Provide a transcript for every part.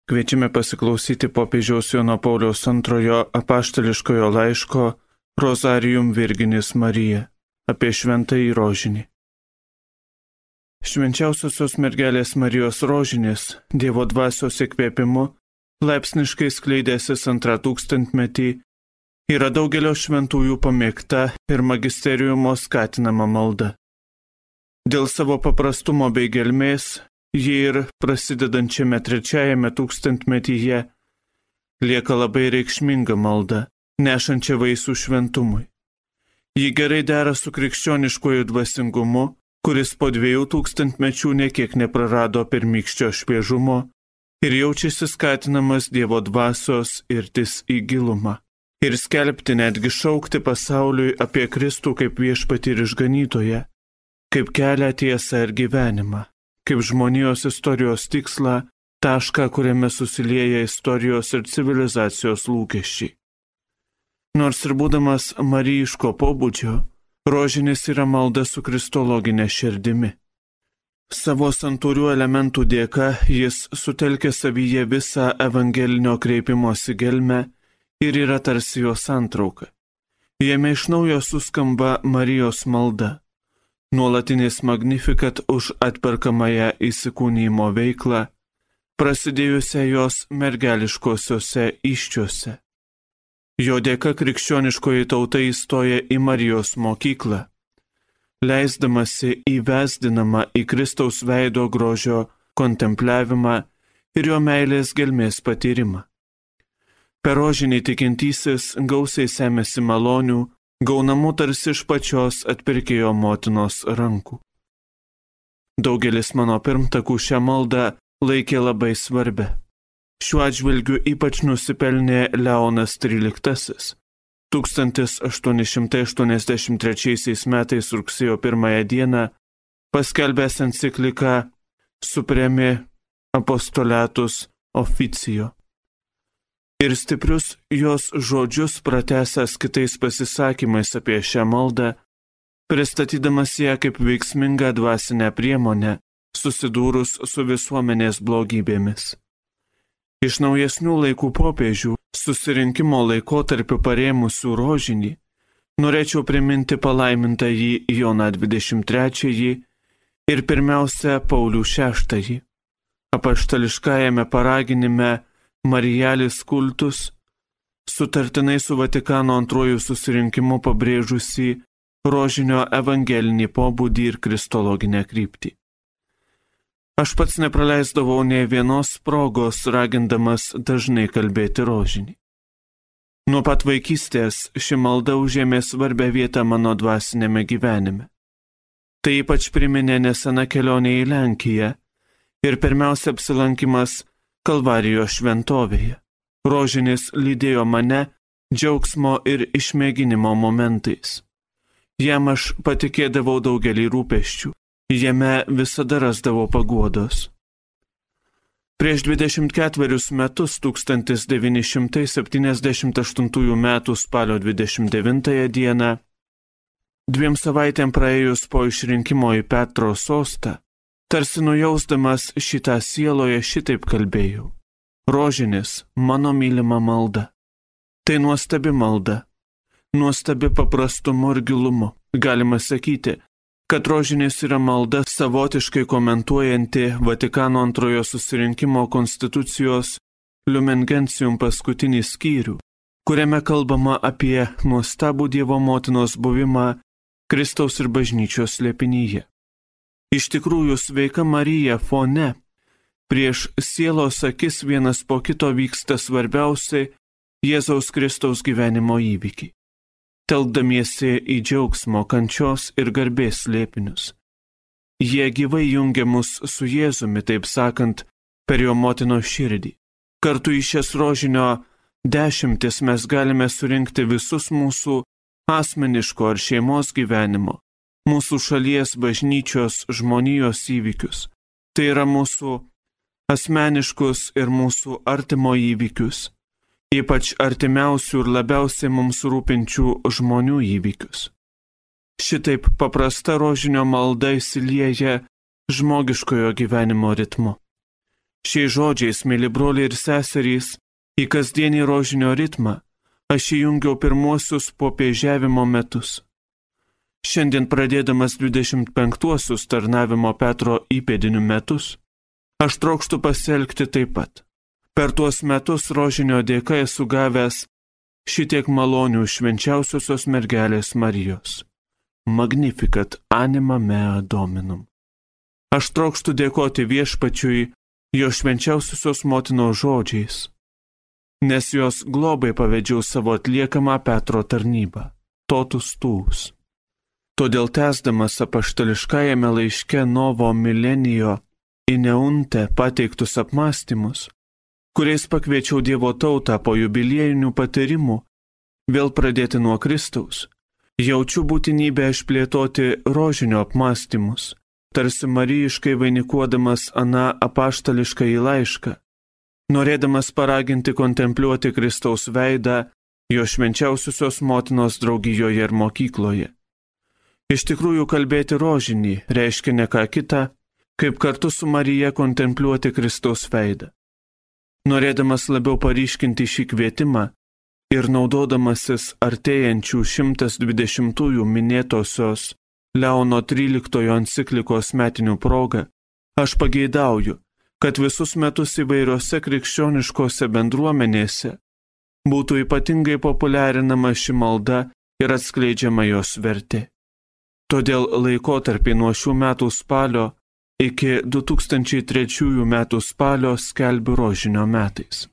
Kviečiame pasiklausyti popiežiaus Jono Pauliaus II apaštališkojo laiško Rozarium Virginis Marija apie šventąjį rožinį. Švenčiausiosios mergelės Marijos rožinis Dievo dvasios įkvėpimu laipsniškai skleidęsis antrą tūkstantmetį yra daugelio šventųjų pamėgta ir magisteriumo skatinama malda. Dėl savo paprastumo bei gelmės ji ir prasidedančiame trečiajame tūkstantmetyje lieka labai reikšminga malda, nešančia vaisių šventumui. Ji gerai dera su krikščioniškuoju dvasingumu, kuris po 2000 mečių niekiek neprarado pirmykščio šviežumo ir jaučiasi skatinamas Dievo dvasios irtis į gilumą. Ir skelbti, netgi šaukti pasauliui apie Kristų kaip viešpatį ir išganytoją, kaip kelią, tiesą ir gyvenimą, kaip žmonijos istorijos tikslą, tašką, kuriame susilieja istorijos ir civilizacijos lūkesčiai. Nors ir būdamas marijiško pobūdžio, rožinis yra malda su kristologinė širdimi. Savo santūrių elementų dėka jis sutelkia savyje visą evangelinio kreipimosi gelmę ir yra tarsi jo santrauka. Jame iš naujo suskamba Marijos malda, nuolatinis magnifikat už atperkamąją įsikūnijimo veiklą, prasidėjusią jos mergeliškosiuose įsčiuose. Jo dėka krikščioniškoji tauta įstoja į Marijos mokyklą, leisdamasi įvesdinama į Kristaus veido grožio kontempliavimą ir jo meilės gelmės patyrimą. Per rožinį tikintysis gausiai semėsi malonių, gaunamų tarsi iš pačios atpirkėjo motinos rankų. Daugelis mano pirmtakų šią maldą laikė labai svarbia. Šiuo atžvilgiu ypač nusipelnė Leonas XIII. 1883 metais rugsėjo 1 dieną paskelbęs encikliką Supremi Apostolatus Officio. Ir stiprius jos žodžius pratęsęs kitais pasisakymais apie šią maldą, pristatydamas ją kaip veiksmingą dvasinę priemonę, susidūrus su visuomenės blogybėmis. Iš naujesnių laikų popiežių susirinkimo laikotarpiu parėmusių rožinį, norėčiau priminti palaimintąjį Joną XXIII ir pirmiausia Paulių VI. Apaštališkajame paraginime Marijalis kultus, sutartinai su Vatikano II susirinkimu pabrėžusi rožinio evangelinį pobūdį ir kristologinę kryptį. Aš pats nepraleisdavau nė vienos progos, ragindamas dažnai kalbėti rožinį. Nuo pat vaikystės ši malda užėmė svarbę vietą mano dvasinėme gyvenime. Tai ypač priminė nesena kelionė į Lenkiją ir pirmiausia apsilankimas Kalvarijos šventovėje. Rožinis lydėjo mane džiaugsmo ir išmėginimo momentais. Jam aš patikėdavau daugelį rūpesčių, jame visada rasdavau paguodos. Prieš 24 metus 1978 metų spalio 29 dieną, 2 savaitėm praėjus po išrinkimo į Petro sostą, tarsi nujausdamas šitą sieloje šitaip kalbėjau. Rožinis, mano mylima malda. Tai nuostabi malda, nuostabi paprastumu ir gilumu. Galima sakyti, kad rožinis yra malda savotiškai komentuojanti Vatikano II susirinkimo konstitucijos Lumen Gentium paskutinį skyrių, kuriame kalbama apie nuostabų Dievo motinos buvimą Kristaus ir bažnyčios slėpinyje. Iš tikrųjų, sveika Marija fone, prieš sielos akis vienas po kito vyksta svarbiausi Jėzaus Kristaus gyvenimo įvykiai, telkdamiesi į džiaugsmo, kančios ir garbės slėpinius. Jie gyvai jungia mus su Jėzumi, taip sakant, per jo motinos širdį. Kartu į šias rožinio dešimtis mes galime surinkti visus mūsų asmeniško ar šeimos gyvenimo, mūsų šalies bažnyčios žmonijos įvykius. Tai yra mūsų asmeniškus ir mūsų artimo įvykius, ypač artimiausių ir labiausiai mums rūpinčių žmonių įvykius. Šitaip paprasta rožinio malda įsilieja žmogiškojo gyvenimo ritmu. Šiais žodžiais, mėly broliai ir seserys, į kasdienį rožinio ritmą aš įjungiau pirmuosius popiežiavimo metus. Šiandien pradėdamas 25-uosius tarnavimo Petro įpėdinių metus, aš trokštu pasielgti taip pat. Per tuos metus rožinio dėka esu gavęs šitiek malonių švenčiausiosios mergelės Marijos. Magnificat anima mea Dominum. Aš trokštu dėkoti Viešpačiui jo švenčiausiosios motinos žodžiais, nes jos globai pavedžiau savo atliekamą Petro tarnybą, totus tuus. Todėl tęsdamas apaštališkajame laiške Novo Milenijo in Eunte pateiktus apmąstymus, kuriais pakviečiau Dievo tautą po jubiliejinių patyrimų vėl pradėti nuo Kristaus, jaučiu būtinybę išplėtoti rožinio apmąstymus, tarsi marijiškai vainikuodamas aną apaštališkąjį laišką, norėdamas paraginti kontempliuoti Kristaus veidą jo švenčiausiosios motinos draugijoje ir mokykloje. Iš tikrųjų, kalbėti rožinį reiškia ne ką kitą, kaip kartu su Marija kontempliuoti Kristaus veidą. Norėdamas labiau paryškinti šį kvietimą ir naudodamasis artėjančių 120-ųjų minėtosios Leono XIII enciklikos metinių proga, aš pageidauju, kad visus metus įvairiose krikščioniškose bendruomenėse būtų ypatingai populiarinama ši malda ir atskleidžiama jos vertė. Todėl laikotarpį nuo šių metų spalio iki 2003 metų spalio skelbiu rožinio metais.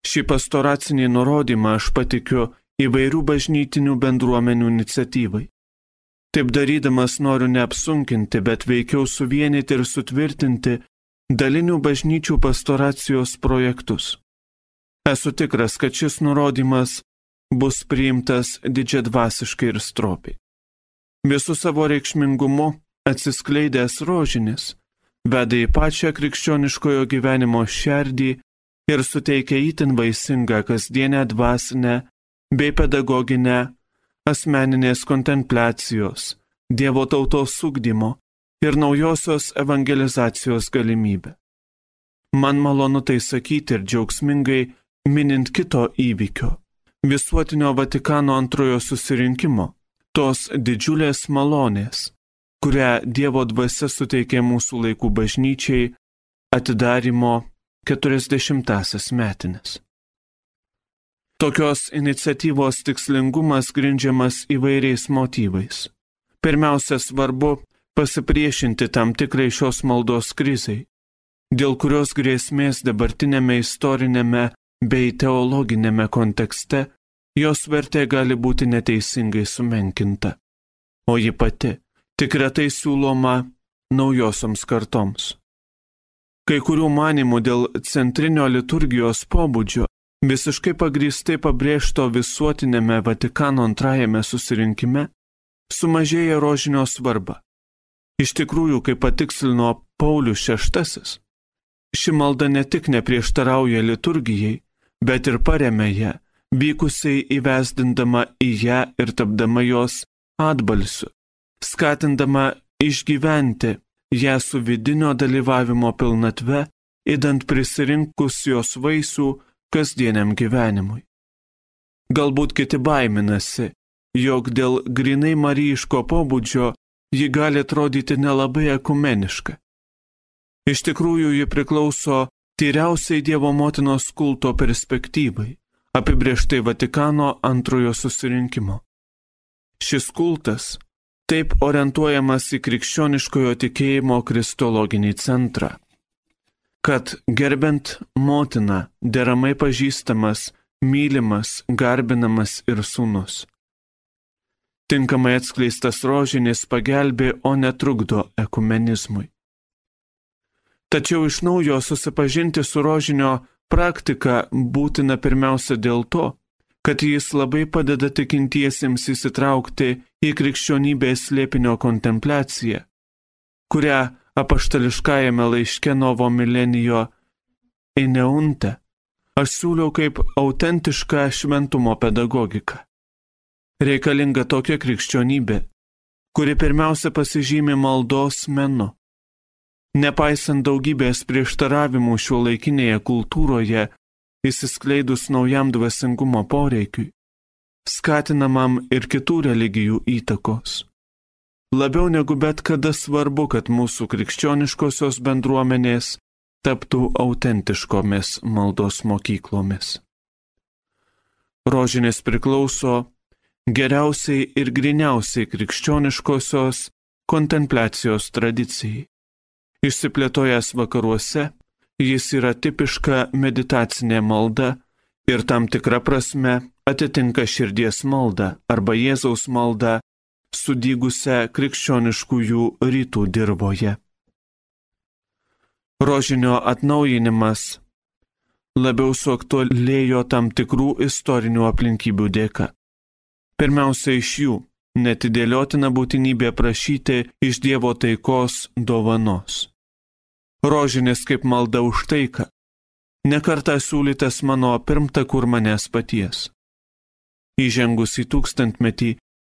Šį pastoracinį nurodymą aš patikiu įvairių bažnytinių bendruomenių iniciatyvai. Taip darydamas noriu neapsunkinti, bet veikiau suvienyti ir sutvirtinti dalinių bažnyčių pastoracijos projektus. Esu tikras, kad šis nurodymas bus priimtas didžiadvasiškai ir stropiai. Visų savo reikšmingumu atsiskleidęs rožinis veda į pačią krikščioniškojo gyvenimo šerdį ir suteikia itin vaisingą kasdienę dvasinę bei pedagoginę asmeninės kontempliacijos, Dievo tautos ugdymo ir naujosios evangelizacijos galimybę. Man malonu tai sakyti ir džiaugsmingai minint kito įvykio, visuotinio Vatikano antrojo susirinkimo, tos didžiulės malonės, kurią Dievo dvasia suteikė mūsų laikų bažnyčiai atidarimo 40-asias metines. Tokios iniciatyvos tikslingumas grindžiamas įvairiais motyvais. Pirmiausia, svarbu pasipriešinti tam tikrai šios maldos krizei, dėl kurios grėsmės dabartinėme istorinėme bei teologinėme kontekste jos vertė gali būti neteisingai sumenkinta, o ji pati tik retai siūloma naujosioms kartoms. Kai kurių manymų dėl centrinio liturgijos pobūdžio visiškai pagrįstai pabrėžto visuotinėme Vatikano antrajame susirinkime sumažėja rožinio svarba. Iš tikrųjų, kaip patikslino Paulius VI, ši malda ne tik neprieštarauja liturgijai, bet ir paremia ją, vykusiai įvesdindama į ją ir tapdama jos atbalsiu, skatindama išgyventi ją su vidinio dalyvavimo pilnatve, idant prisirinkus jos vaisių kasdieniam gyvenimui. Galbūt kiti baiminasi, jog dėl grinai marijiško pobūdžio ji gali atrodyti nelabai ekumeniška. Iš tikrųjų, ji priklauso tyriausiai Dievo motinos kulto perspektyvai, apibrėžtai Vatikano antrojo susirinkimo. Šis kultas taip orientuojamas į krikščioniškojo tikėjimo kristologinį centrą, kad gerbent motiną deramai pažįstamas, mylimas, garbinamas ir sūnus. Tinkamai atskleistas rožinis pagelbė, o netrukdo ekumenizmui. Tačiau iš naujo susipažinti su rožinio praktika būtina pirmiausia dėl to, kad jis labai padeda tikintiesiems įsitraukti į krikščionybės slėpinio kontempliaciją, kurią apaštališkajame laiške Novo Milenijo in Eunte aš siūliau kaip autentišką šventumo pedagogiką. Reikalinga tokia krikščionybė, kuri pirmiausia pasižymi maldos menu, Nepaisant daugybės prieštaravimų šiuolaikinėje kultūroje, įsiskleidus naujam dvasingumo poreikiui, skatinamam ir kitų religijų įtakos. Labiau negu bet kada svarbu, kad mūsų krikščioniškosios bendruomenės taptų autentiškomis maldos mokyklomis. Rožinis priklauso geriausiai ir griniausiai krikščioniškosios kontempliacijos tradicijai. Išsiplėtojęs vakaruose, jis yra tipiška meditacinė malda ir tam tikra prasme atitinka širdies maldą arba Jėzaus maldą sudygusią krikščioniškųjų rytų dirvoje. Rožinio atnaujinimas labiau suaktualėjo tam tikrų istorinių aplinkybių dėka. Pirmiausia iš jų – netidėliotina būtinybė prašyti iš Dievo taikos dovanos. Rožinis kaip malda už taiką, nekartą siūlytas mano pirmtakų ir manęs paties. Įžengus į tūkstantmetį,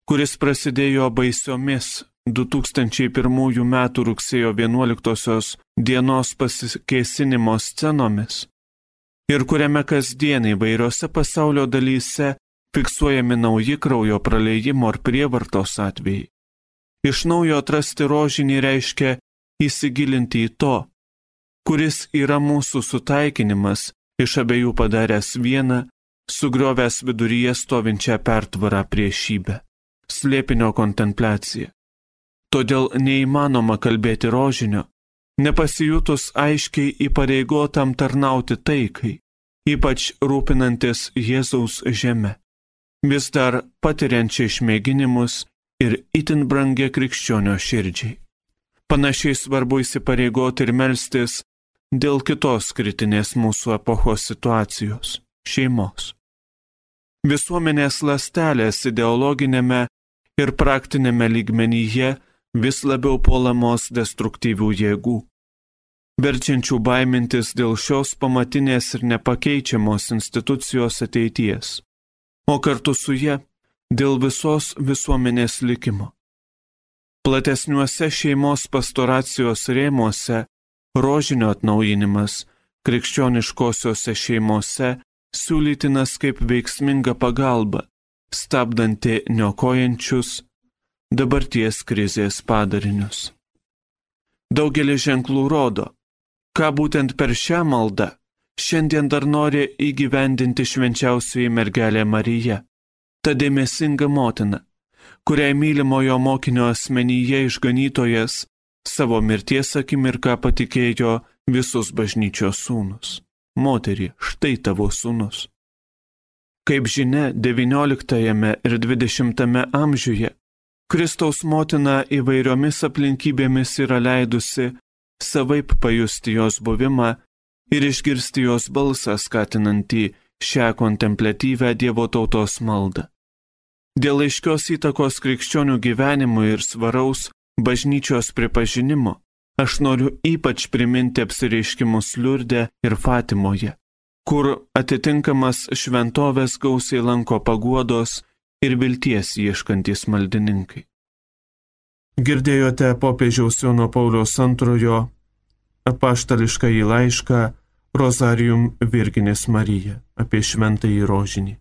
kuris prasidėjo baisiomis 2001 m. rugsėjo 11 dienos pasikėsinimo scenomis ir kuriame kasdien įvairiose pasaulio dalyse fiksuojami nauji kraujo praleidimo ar prievartos atvejai. Iš naujo atrasti rožinį reiškia įsigilinti į to, kuris yra mūsų sutaikinimas, iš abiejų padaręs vieną, sugriovęs viduryje stovinčią pertvarą priešybę, slėpinio kontempliaciją. Todėl neįmanoma kalbėti rožinio, nepasijutus aiškiai įpareigotam tarnauti taikai, ypač rūpinantis Jėzaus žeme, vis dar patiriančiai išmėginimus ir itin brangia krikščionio širdžiai. Panašiai svarbu įsipareigoti ir melstis dėl kitos kritinės mūsų epochos situacijos – šeimos. Visuomenės ląstelės ideologinėme ir praktinėme lygmenyje vis labiau puolamos destruktyvių jėgų, verčiančių baimintis dėl šios pamatinės ir nepakeičiamos institucijos ateities, o kartu su ja dėl visos visuomenės likimo. Platesniuose šeimos pastoracijos rėmuose rožinio atnaujinimas krikščioniškosiose šeimose siūlytinas kaip veiksminga pagalba, stabdanti niokojančius dabarties krizės padarinius. Daugelis ženklų rodo, ką būtent per šią maldą šiandien dar nori įgyvendinti švenčiausioji mergelė Marija, ta dėmesinga motina, kuriai mylimojo mokinio asmenyje išganytojas savo mirties akimirką patikėjo visus bažnyčios sūnus. Moterie, štai tavo sūnus. Kaip žinia, 19 ir 20 amžiuje Kristaus motina įvairiomis aplinkybėmis yra leidusi savaip pajusti jos buvimą ir išgirsti jos balsą skatinantį šią kontempliatyvę Dievo tautos maldą. Dėl aiškios įtakos krikščionių gyvenimui ir svaraus bažnyčios pripažinimo, aš noriu ypač priminti apsireiškimus Liurde ir Fatimoje, kur atitinkamas šventovės gausiai lanko paguodos ir vilties ieškantys maldininkai. Girdėjote popiežiaus Jono Pauliaus II apaštališkąjį laišką Rozarium Virginis Marija apie šventąjį rožinį.